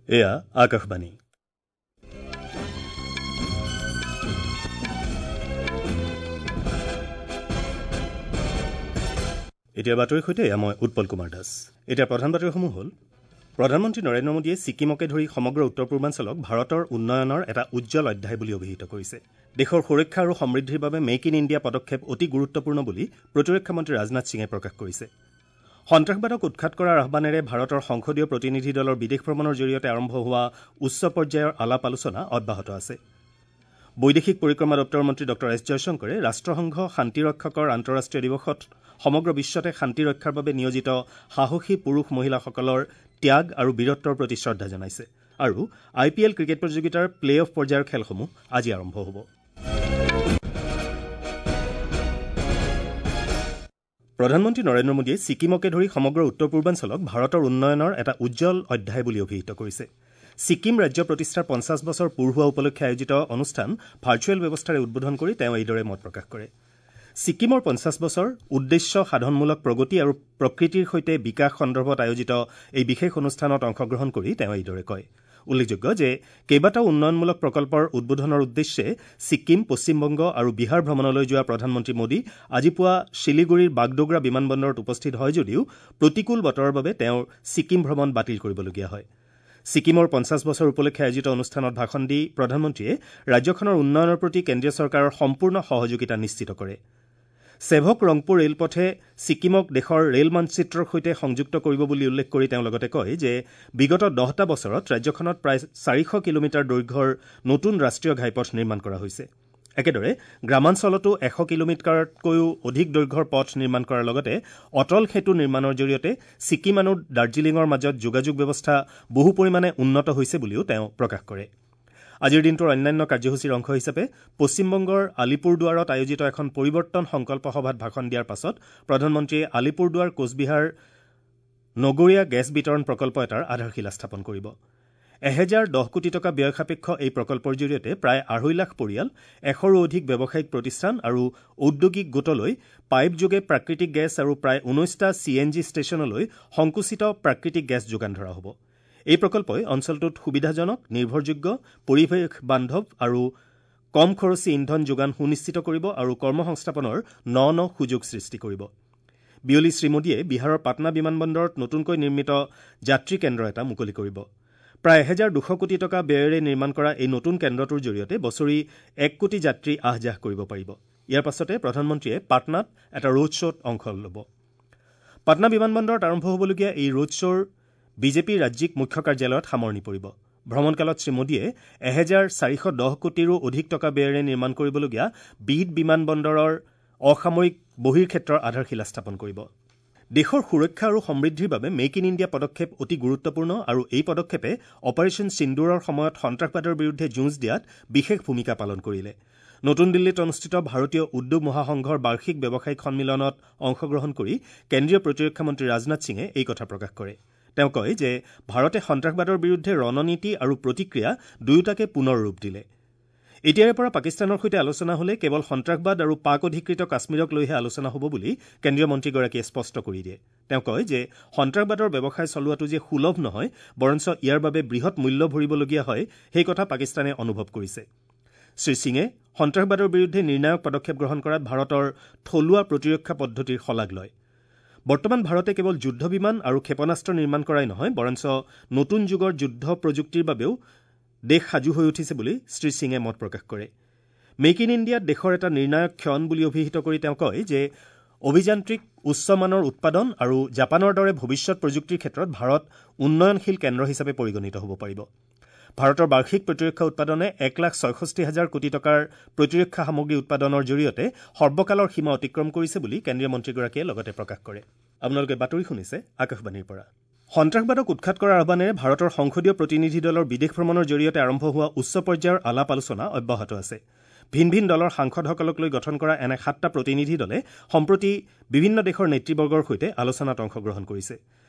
এয়া আকাশবাণী। এতিয়া বাতৰিৰ সৈতে এয়া মই উৎপল কুমাৰ দাস। এতিয়া প্ৰধান বাতৰিসমূহ হ'ল: প্ৰধানমন্ত্ৰী নৰেন্দ্ৰ মোদীয়ে ছিকিমকে ধৰি সমগ্ৰ উত্তৰ পূৰ্বাঞ্চলক ভাৰতৰ উন্নয়নৰ এটা উজ্জ্বল অধ্যায় বুলি অভিহিত কৰিছে। দেশৰ সুৰক্ষা আৰু সমৃদ্ধিৰ বাবে মেক ইন ইণ্ডিয়া পদক্ষেপ অতি গুৰুত্বপূৰ্ণ বুলি প্ৰতিৰক্ষা মন্ত্ৰী ৰাজনাথ সিঙে প্ৰকাশ কৰিছে। সন্ত্ৰাসবাদক উৎখাত কৰাৰ আহ্বানেৰে ভাৰতৰ সংসদীয় প্ৰতিনিধি দলৰ বিদেশ ভ্ৰমণৰ জৰিয়তে আৰম্ভ হোৱা উচ্চ পৰ্যায়ৰ আলাপ আলোচনা অব্যাহত আছে। বৈদেশিক পৰিক্ৰমা দপ্তৰৰ মন্ত্ৰী ডঃ এছ জয়শংকৰে ৰাষ্ট্ৰসংঘ শান্তিৰক্ষকৰ আন্তঃৰাষ্ট্ৰীয় দিৱসত সমগ্ৰ বিশ্বতে শান্তি ৰক্ষাৰ বাবে নিয়োজিত সাহসী পুৰুষ মহিলাসকলৰ ত্যাগ আৰু বীৰত্বৰ প্ৰতি শ্ৰদ্ধা জনাইছে। আৰু আই পি এল ক্ৰিকেট প্ৰতিযোগিতাৰ প্লে অফ পৰ্যায়ৰ খেলসমূহ আজি আৰম্ভ হ'ব। প্ৰধানমন্ত্ৰী নৰেন্দ্ৰ মোদীয়ে ছিকিমকে ধৰি সমগ্ৰ উত্তৰ পূৰ্বাঞ্চলক ভাৰতৰ উন্নয়নৰ এটা উজ্জ্বল অধ্যায় বুলি অভিহিত কৰিছে। ছিকিম ৰাজ্য প্ৰতিষ্ঠাৰ ৫০ বছৰ পূৰ হোৱা উপলক্ষে আয়োজিত অনুষ্ঠান ভাৰ্চুৱেল ব্যৱস্থাৰে উদ্বোধন কৰি তেওঁ এইদৰে মত প্ৰকাশ কৰে। ছিকিমৰ ৫০ বছৰ উদ্দেশ্য সাধনমূলক প্ৰগতি আৰু প্ৰকৃতিৰ সৈতে বিকাশ সন্দৰ্ভত আয়োজিত এই বিশেষ অনুষ্ঠানত অংশগ্ৰহণ কৰি তেওঁ এইদৰে কয়। উল্লেখযোগ্য যে কেইবাটাও উন্নয়নমূলক প্ৰকল্পৰ উদ্বোধনৰ উদ্দেশ্যে ছিকিম, পশ্চিমবংগ আৰু বিহাৰ ভ্ৰমণলৈ যোৱা প্ৰধানমন্ত্ৰী মোদী আজি পুৱা শিলিগুৰিৰ বাগডোগৰা বিমানবন্দৰত উপস্থিত হয় যদিও প্ৰতিকূল বতৰৰ বাবে তেওঁৰ ছিকিম ভ্ৰমণ বাতিল কৰিবলগীয়া হয়। ছিকিমৰ ৫০ বছৰ উপলক্ষে আয়োজিত অনুষ্ঠানত ভাষণ দি প্ৰধানমন্ত্ৰীয়ে ৰাজ্যখনৰ উন্নয়নৰ প্ৰতি কেন্দ্ৰীয় চৰকাৰৰ সম্পূৰ্ণ সহযোগিতা নিশ্চিত কৰে। সেভক ৰংপুৰ ৰেলপথে ছিকিমক দেশৰ ৰেল মানচিত্ৰৰ সৈতে সংযুক্ত কৰিব বুলি উল্লেখ কৰি তেওঁ লগতে কয় যে বিগত ১০টা বছৰত ৰাজ্যখনত প্ৰায় ৪০০ কিলোমিটাৰ দৈৰ্ঘ্যৰ নতুন ৰাষ্ট্ৰীয় ঘাইপথ নিৰ্মাণ কৰা হৈছে। একেদৰে গ্ৰামাঞ্চলতো ১০০ কিলোমিটাৰতকৈও অধিক দৈৰ্ঘ্যৰ পথ নিৰ্মাণ কৰাৰ লগতে অটল সেতু নিৰ্মাণৰ জৰিয়তে ছিকিম আৰু দাৰ্জিলিঙৰ মাজত যোগাযোগ ব্যৱস্থা বহু পৰিমাণে উন্নত হৈছে বুলিও তেওঁ প্ৰকাশ কৰে। আজিৰ দিনটোৰ অন্যান্য কাৰ্যসূচীৰ অংশ হিচাপে পশ্চিমবংগৰ আলিপুৰদুৱাৰত আয়োজিত এখন পৰিৱৰ্তন সংকল্প সভাত ভাষণ দিয়াৰ পাছত প্ৰধানমন্ত্ৰীয়ে আলিপুৰদুৱাৰ কোচবিহাৰ নগৰীয়া গেছ বিতৰণ প্ৰকল্প এটাৰ আধাৰশিলা স্থাপন কৰিব। ১০১০ কোটি টকা ব্যয় সাপেক্ষ এই প্ৰকল্পৰ জৰিয়তে প্ৰায় ২.৫ লাখ পৰিয়াল, ১০০ৰো অধিক ব্যৱসায়িক প্ৰতিষ্ঠান আৰু ঔদ্যোগিক গোটলৈ পাইপযোগে প্ৰাকৃতিক গেছ আৰু প্ৰায় ১৯টা চি এন জি ষ্টেচনলৈ সংকুচিত প্ৰাকৃতিক গেছ যোগান ধৰা হ'ব। এই প্ৰকল্পই অঞ্চলটোত সুবিধাজনক, নিৰ্ভৰযোগ্য, পৰিৱেশ বান্ধৱ আৰু কম খৰচী ইন্ধন যোগান সুনিশ্চিত কৰিব আৰু কৰ্মসংস্থাপনৰ ন ন সুযোগ সৃষ্টি কৰিব। বিয়লি শ্ৰীমোদীয়ে বিহাৰৰ পাটনা বিমানবন্দৰত নতুনকৈ নিৰ্মিত যাত্ৰী কেন্দ্ৰ এটা মুকলি কৰিব। প্ৰায় ১২০০ কোটি টকা ব্যয়েৰে নিৰ্মাণ কৰা এই নতুন কেন্দ্ৰটোৰ জৰিয়তে বছৰি ১ কোটি যাত্ৰী আহ যাহ কৰিব পাৰিব। ইয়াৰ পাছতে প্ৰধানমন্ত্ৰীয়ে পাটনাত এটা ৰোড শ্ব'ত অংশ ল'ব। পাটনা বিমানবন্দৰত আৰম্ভ হ'বলগীয়া এই ৰোড শ্ব'ৰ বিজেপিৰ ৰাজ্যিক মুখ্য কাৰ্যালয়ত সামৰণি পৰিব। ভ্ৰমণকালত শ্ৰীমোদীয়ে ১৪১০ কোটিৰো অধিক টকা ব্যয়েৰে নিৰ্মাণ কৰিবলগীয়া বিদ বিমানবন্দৰৰ অসামৰিক বহিৰ্ক্ষেত্ৰৰ আধাৰশিলা স্থাপন কৰিব। দেশৰ সুৰক্ষা আৰু সমৃদ্ধিৰ বাবে মেক ইন ইণ্ডিয়া পদক্ষেপ অতি গুৰুত্বপূৰ্ণ আৰু এই পদক্ষেপে অপাৰেচন সিন্দুৰৰ সময়ত সন্ত্ৰাসবাদৰ বিৰুদ্ধে যুঁজ দিয়াত বিশেষ ভূমিকা পালন কৰিলে। নতুন দিল্লীত অনুষ্ঠিত ভাৰতীয় উদ্যোগ মহাসংঘৰ বাৰ্ষিক ব্যৱসায়িক সন্মিলনত অংশগ্ৰহণ কৰি কেন্দ্ৰীয় প্ৰতিৰক্ষা মন্ত্ৰী ৰাজনাথ সিঙে এই কথা প্ৰকাশ কৰে। তেওঁ কয় যে ভাৰতে সন্ত্ৰাসবাদৰ বিৰুদ্ধে ৰণনীতি আৰু প্ৰতিক্ৰিয়া দুয়োটাকে পুনৰ ৰূপ দিলে। এতিয়াৰে পৰা পাকিস্তানৰ সৈতে আলোচনা হলে কেৱল সন্ত্ৰাসবাদ আৰু পাক অধিকৃত কাশ্মীৰক লৈহে আলোচনা হ'ব বুলি কেন্দ্ৰীয় মন্ত্ৰীগৰাকীয়ে স্পষ্ট কৰি দিয়ে। তেওঁ কয় যে সন্ত্ৰাসবাদৰ ব্যৱসায় চলোৱাটো যে সুলভ নহয়, বৰঞ্চ ইয়াৰ বাবে বৃহৎ মূল্য ভৰিবলগীয়া হয়, সেই কথা পাকিস্তানে অনুভৱ কৰিছে। শ্ৰীসিঙে সন্ত্ৰাসবাদৰ বিৰুদ্ধে নিৰ্ণায়ক পদক্ষেপ গ্ৰহণ কৰাত ভাৰতৰ থলুৱা প্ৰতিৰক্ষা পদ্ধতিৰ শলাগ লয়। বৰ্তমান ভাৰতে কেৱল যুদ্ধ বিমান আৰু ক্ষেপণাস্ত্ৰ নিৰ্মাণ কৰাই নহয়, বৰঞ্চ নতুন যুগৰ যুদ্ধ প্ৰযুক্তিৰ বাবেও দেশ সাজু হৈ উঠিছে বুলি শ্ৰীসিঙে মত প্ৰকাশ কৰে। মেক ইন ইণ্ডিয়াত দেশৰ এটা নিৰ্ণায়ক ক্ষণ বুলি অভিহিত কৰি তেওঁ কয় যে অভিযান্ত্ৰিক উচ্চমানৰ উৎপাদন আৰু জাপানৰ দৰে ভৱিষ্যত প্ৰযুক্তিৰ ক্ষেত্ৰত ভাৰত উন্নয়নশীল কেন্দ্ৰ হিচাপে পৰিগণিত হ'ব পাৰিব। ভাৰতৰ বাৰ্ষিক প্ৰতিৰক্ষা উৎপাদনে ১,৬৬,০০০ কোটি টকাৰ প্ৰতিৰক্ষা সামগ্ৰী উৎপাদনৰ জৰিয়তে সৰ্বকালৰ সীমা অতিক্ৰম কৰিছে বুলি কেন্দ্ৰীয় মন্ত্ৰীগৰাকীয়ে লগতে প্ৰকাশ কৰে। আপোনালোকে বাতৰি শুনিছে আকাশবাণীৰ পৰা। সন্ত্ৰাসবাদক উৎখাত কৰাৰ আহ্বানেৰে ভাৰতৰ সংসদীয় প্ৰতিনিধি দলৰ বিদেশ ভ্ৰমণৰ জৰিয়তে আৰম্ভ হোৱা উচ্চ পৰ্যায়ৰ আলাপ আলোচনা অব্যাহত আছে। ভিন ভিন দলৰ সাংসদসকলক লৈ গঠন কৰা এনে ৭টা প্ৰতিনিধি দলে সম্প্ৰতি বিভিন্ন দেশৰ নেতৃবৰ্গৰ সৈতে আলোচনাত অংশগ্ৰহণ কৰিছে।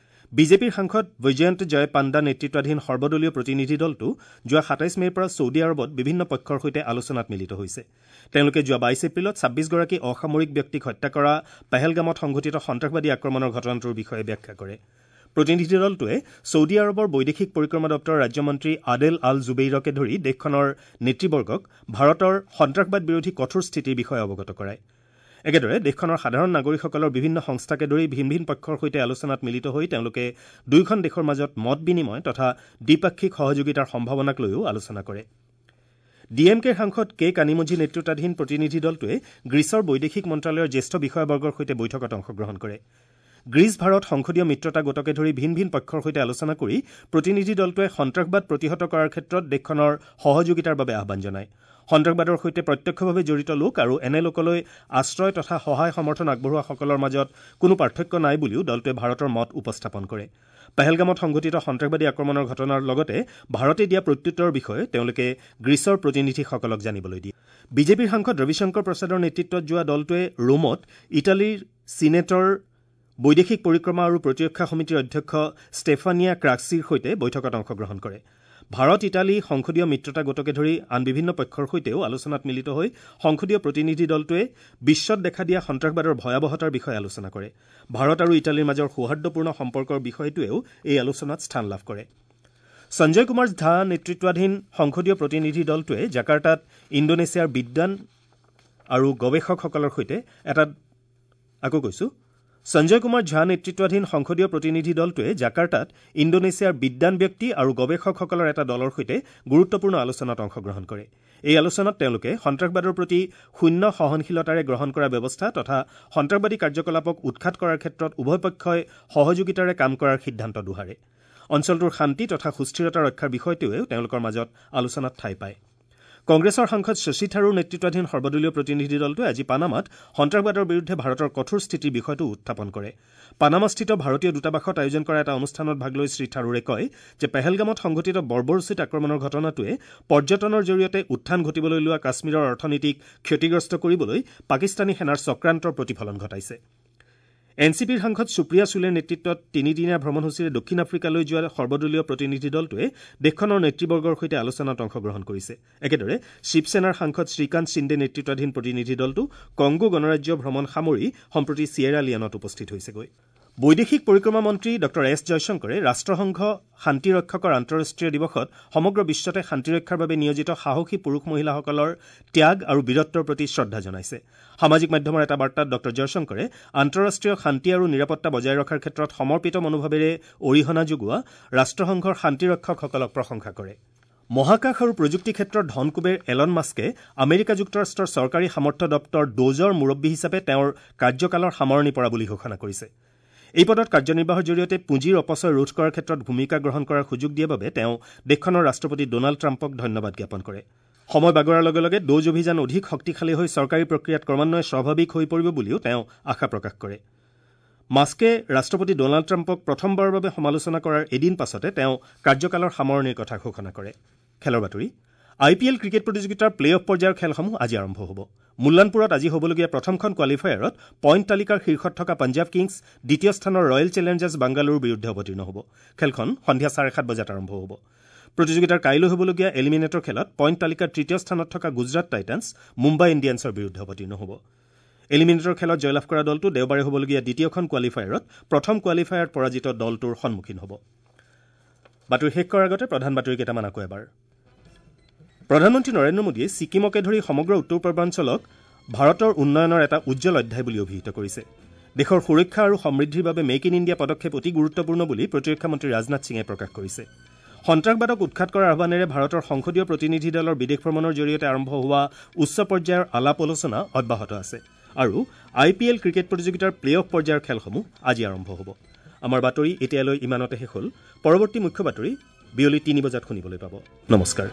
বিজেপিৰ সাংসদ বৈজয়ন্ত জয় পাণ্ডা নেতৃত্বাধীন সৰ্বদলীয় প্ৰতিনিধি দলটো যোৱা ২৭ মে'ৰ পৰা ছৌদি আৰৱত বিভিন্ন পক্ষৰ সৈতে আলোচনাত মিলিত হৈছে। তেওঁলোকে যোৱা ২২ এপ্ৰিলত ২৬গৰাকী অসামৰিক ব্যক্তিক হত্যা কৰা পেহেলগামত সংঘটিত সন্ত্ৰাসবাদী আক্ৰমণৰ ঘটনাটোৰ বিষয়ে ব্যাখ্যা কৰে। প্ৰতিনিধি দলটোৱে ছৌদি আৰৱৰ বৈদেশিক পৰিক্ৰমা দপ্তৰৰ ৰাজ্যমন্ত্ৰী আদেল আল জুবেইৰকে ধৰি দেশখনৰ নেতৃবৰ্গক ভাৰতৰ সন্ত্ৰাসবাদ বিৰোধী কঠোৰ স্থিতিৰ বিষয়ে অৱগত কৰায়। একেদৰে দেশখনৰ সাধাৰণ নাগৰিকসকলৰ বিভিন্ন সংস্থাকে ধৰি ভিন ভিন পক্ষৰ সৈতে আলোচনাত মিলিত হৈ তেওঁলোকে দুয়োখন দেশৰ মাজত মত বিনিময় তথা দ্বিপাক্ষিক সহযোগিতাৰ সম্ভাৱনাক লৈও আলোচনা কৰে। ডি এম কেৰ সাংসদ কে কানিমোঝি নেতৃত্বাধীন প্ৰতিনিধি দলটোৱে গ্ৰীচৰ বৈদেশিক মন্ত্ৰালয়ৰ জ্যেষ্ঠ বিষয়াবৰ্গৰ সৈতে বৈঠকত অংশগ্ৰহণ কৰে। গ্ৰীচ ভাৰত সংসদীয় মিত্ৰতা গোটকে ধৰি ভিন ভিন পক্ষৰ সৈতে আলোচনা কৰি প্ৰতিনিধি দলটোৱে সন্ত্ৰাসবাদ প্ৰতিহত কৰাৰ ক্ষেত্ৰত দেশখনৰ সহযোগিতাৰ বাবে আহ্বান জনায়। সন্ত্ৰাসবাদৰ সৈতে প্ৰত্যক্ষভাৱে জড়িত লোক আৰু এনে লোকলৈ আশ্ৰয় তথা সহায় সমৰ্থন আগবঢ়োৱাসকলৰ মাজত কোনো পাৰ্থক্য নাই বুলিও দলটোৱে ভাৰতৰ মত উপস্থাপন কৰে। পেহেলগামত সংঘটিত সন্ত্ৰাসবাদী আক্ৰমণৰ ঘটনাৰ লগতে ভাৰতে দিয়া প্ৰত্যুত্তৰৰ বিষয়ে তেওঁলোকে গ্ৰীচৰ প্ৰতিনিধিসকলক জানিবলৈ দিয়ে। বিজেপিৰ সাংসদ ৰবিশংকৰ প্ৰসাদৰ নেতৃত্বত যোৱা দলটোৱে ৰোমত ইটালীৰ চিনেটৰ বৈদেশিক পৰিক্ৰমা আৰু প্ৰতিৰক্ষা সমিতিৰ অধ্যক্ষ ষ্টেফানিয়া ক্ৰাক্সিৰ সৈতে বৈঠকত অংশগ্ৰহণ কৰে। ভাৰত ইটালী সংসদীয় মিত্ৰতা গোটকে ধৰি আন বিভিন্ন পক্ষৰ সৈতেও আলোচনাত মিলিত হৈ সংসদীয় প্ৰতিনিধি দলটোৱে বিশ্বত দেখা দিয়া সন্ত্ৰাসবাদৰ ভয়াৱহতাৰ বিষয়ে আলোচনা কৰে। ভাৰত আৰু ইটালীৰ মাজৰ সৌহাৰ্দ্যপূৰ্ণ সম্পৰ্কৰ বিষয়টোৱেও এই আলোচনাত স্থান লাভ কৰে। সঞ্জয় কুমাৰ ঝা নেতৃত্বাধীন সংসদীয় প্ৰতিনিধি দলটোৱে জাকাৰ্টাত ইণ্ডোনেছিয়াৰ বিদ্বান আৰু গৱেষকসকলৰ সৈতে এটা আকৌ কৈছো সঞ্জয় কুমাৰ ঝা নেতৃত্বাধীন সংসদীয় প্ৰতিনিধি দলটোৱে জাকাৰ্টাত ইণ্ডোনেছিয়াৰ বিদ্বান ব্যক্তি আৰু গৱেষকসকলৰ এটা দলৰ সৈতে গুৰুত্বপূৰ্ণ আলোচনাত অংশগ্ৰহণ কৰে। এই আলোচনাত তেওঁলোকে সন্ত্ৰাসবাদৰ প্ৰতি শূন্য সহনশীলতাৰে গ্ৰহণ কৰা ব্যৱস্থা তথা সন্ত্ৰাসবাদী কাৰ্যকলাপক উৎখাত কৰাৰ ক্ষেত্ৰত উভয় পক্ষই সহযোগিতাৰে কাম কৰাৰ সিদ্ধান্ত দোহাৰে। অঞ্চলটোৰ শান্তি তথা সুস্থিৰতা ৰক্ষাৰ বিষয়টোৱেও তেওঁলোকৰ মাজত আলোচনাত ঠাই পায়। কংগ্ৰেছৰ সাংসদ শশী থাৰুৰ নেতৃত্বাধীন সৰ্বদলীয় প্ৰতিনিধি দলটোৱে আজি পানামাত সন্ত্ৰাসবাদৰ বিৰুদ্ধে ভাৰতৰ কঠোৰ স্থিতিৰ বিষয়টো উত্থাপন কৰে। পানামাস্থিত ভাৰতীয় দূতাবাসত আয়োজন কৰা এটা অনুষ্ঠানত ভাগ লৈ শ্ৰী থাৰুৰে কয় যে পেহেলগামত সংঘটিত বৰ্বৰোচিত আক্ৰমণৰ ঘটনাটোৱে পৰ্যটনৰ জৰিয়তে উত্থান ঘটিবলৈ লোৱা কাশ্মীৰৰ অৰ্থনীতিক ক্ষতিগ্ৰস্ত কৰিবলৈ পাকিস্তানী সেনাৰ চক্ৰান্তৰ প্ৰতিফলন ঘটাইছে। এন চি পিৰ সাংসদ সুপ্ৰিয়া চুলেৰ নেতৃত্বত তিনিদিনীয়া ভ্ৰমণসূচীৰে দক্ষিণ আফ্ৰিকালৈ যোৱা সৰ্বদলীয় প্ৰতিনিধি দলটোৱে দেশখনৰ নেতৃবৰ্গৰ সৈতে আলোচনাত অংশগ্ৰহণ কৰিছে। একেদৰে শিৱসেনাৰ সাংসদ শ্ৰীকান্ত সিন্দে নেতৃত্বাধীন প্ৰতিনিধি দলটো কংগো গণৰাজ্য ভ্ৰমণ সামৰি সম্প্ৰতি চিয়েৰা লিয়নত উপস্থিত হৈছেগৈ। বৈদেশিক পৰিক্ৰমা মন্ত্ৰী ডঃ এছ জয়শংকৰে ৰাষ্ট্ৰসংঘ শান্তিৰক্ষকৰ আন্তঃৰাষ্ট্ৰীয় দিৱসত সমগ্ৰ বিশ্বতে শান্তিৰক্ষাৰ বাবে নিয়োজিত সাহসী পুৰুষ মহিলাসকলৰ ত্যাগ আৰু বীৰত্বৰ প্ৰতি শ্ৰদ্ধা জনাইছে। সামাজিক মাধ্যমৰ এটা বাৰ্তাত ডঃ জয়শংকৰে আন্তঃৰাষ্ট্ৰীয় শান্তি আৰু নিৰাপত্তা বজাই ৰখাৰ ক্ষেত্ৰত সমৰ্পিত মনোভাৱেৰে অৰিহণা যোগোৱা ৰাষ্ট্ৰসংঘৰ শান্তিৰক্ষকসকলক প্ৰশংসা কৰে। মহাকাশ আৰু প্ৰযুক্তি ক্ষেত্ৰৰ ধনকুবেৰ এলন মাস্কে আমেৰিকা যুক্তৰাষ্ট্ৰৰ চৰকাৰী সামৰ্থ্য দপ্তৰ ড'জৰ মুৰব্বী হিচাপে তেওঁৰ কাৰ্যকালৰ সামৰণি পৰা বুলি ঘোষণা কৰিছে। এই পদত কাৰ্যনিৰ্বাহৰ জৰিয়তে পুঁজিৰ অপচয় ৰোধ কৰাৰ ক্ষেত্ৰত ভূমিকা গ্ৰহণ কৰাৰ সুযোগ দিয়া বাবে তেওঁ দেশখনৰ ৰাষ্ট্ৰপতি ড'নাল্ড ট্ৰাম্পক ধন্যবাদ জ্ঞাপন কৰে। সময় বাগৰাৰ লগে লগে ড'জ অভিযান অধিক শক্তিশালী হৈ চৰকাৰী প্ৰক্ৰিয়াত ক্ৰমান্বয়ে স্বাভাৱিক হৈ পৰিব বুলিও তেওঁ আশা প্ৰকাশ কৰে। মাস্কে ৰাষ্ট্ৰপতি ড'নাল্ড ট্ৰাম্পক প্ৰথমবাৰৰ বাবে সমালোচনা কৰাৰ এদিন পাছতে তেওঁ কাৰ্যকালৰ সামৰণিৰ কথা ঘোষণা কৰে। খেলৰ বাতৰি। আই পি এল ক্ৰিকেট প্ৰতিযোগিতাৰ প্লে অফ পৰ্যায়ৰ খেলসমূহ আজি আৰম্ভ হ'ব। মুল্লানপুৰত আজি হ'বলগীয়া প্ৰথমখন কোৱালিফায়াৰত পইণ্ট তালিকাৰ শীৰ্ষত থকা পঞ্জাৱ কিংছ দ্বিতীয় স্থানৰ ৰয়েল চেলেঞ্জাৰ্ছ বাংগালুৰুৰ বিৰুদ্ধে অৱতীৰ্ণ হ'ব। খেলখন সন্ধিয়া 7:30 বজাত আৰম্ভ হ'ব। প্ৰতিযোগিতাৰ কাইলৈ হ'বলগীয়া এলিমিনেটৰ খেলত পইণ্ট তালিকাৰ তৃতীয় স্থানত থকা গুজৰাট টাইটানছ মুম্বাই ইণ্ডিয়ানছৰ বিৰুদ্ধে অৱতীৰ্ণ হ'ব। এলিমিনেটৰ খেলত জয়লাভ কৰা দলটো দেওবাৰে হ'বলগীয়া দ্বিতীয়খন কোৱালিফায়াৰত প্ৰথম কোৱালিফায়াৰত পৰাজিত দলটোৰ সন্মুখীন হ'ব। বাতৰি শেষ কৰাৰ আগতে প্ৰধান বাতৰি কেইটামান আকৌ এবাৰ। প্ৰধানমন্ত্ৰী নৰেন্দ্ৰ মোদীয়ে ছিকিমকে ধৰি সমগ্ৰ উত্তৰ পূৰ্বাঞ্চলক ভাৰতৰ উন্নয়নৰ এটা উজ্জ্বল অধ্যায় বুলি অভিহিত কৰিছে। দেশৰ সুৰক্ষা আৰু সমৃদ্ধিৰ বাবে মেক ইন ইণ্ডিয়া পদক্ষেপ অতি গুৰুত্বপূৰ্ণ বুলি প্ৰতিৰক্ষা মন্ত্ৰী ৰাজনাথ সিঙে প্ৰকাশ কৰিছে। সন্ত্ৰাসবাদক উৎখাত কৰাৰ আহ্বানেৰে ভাৰতৰ সংসদীয় প্ৰতিনিধি দলৰ বিদেশ ভ্ৰমণৰ জৰিয়তে আৰম্ভ হোৱা উচ্চ পৰ্যায়ৰ আলাপ আলোচনা অব্যাহত আছে। আৰু আই পি এল ক্ৰিকেট প্ৰতিযোগিতাৰ প্লে অফ পৰ্যায়ৰ খেলসমূহ আজি আৰম্ভ হ'ব। আমাৰ বাতৰি এতিয়ালৈ ইমানতে শেষ হ'ল। পৰৱৰ্তী মুখ্য বাতৰি বিয়লি 3 বজাত শুনিবলৈ পাব। নমস্কাৰ।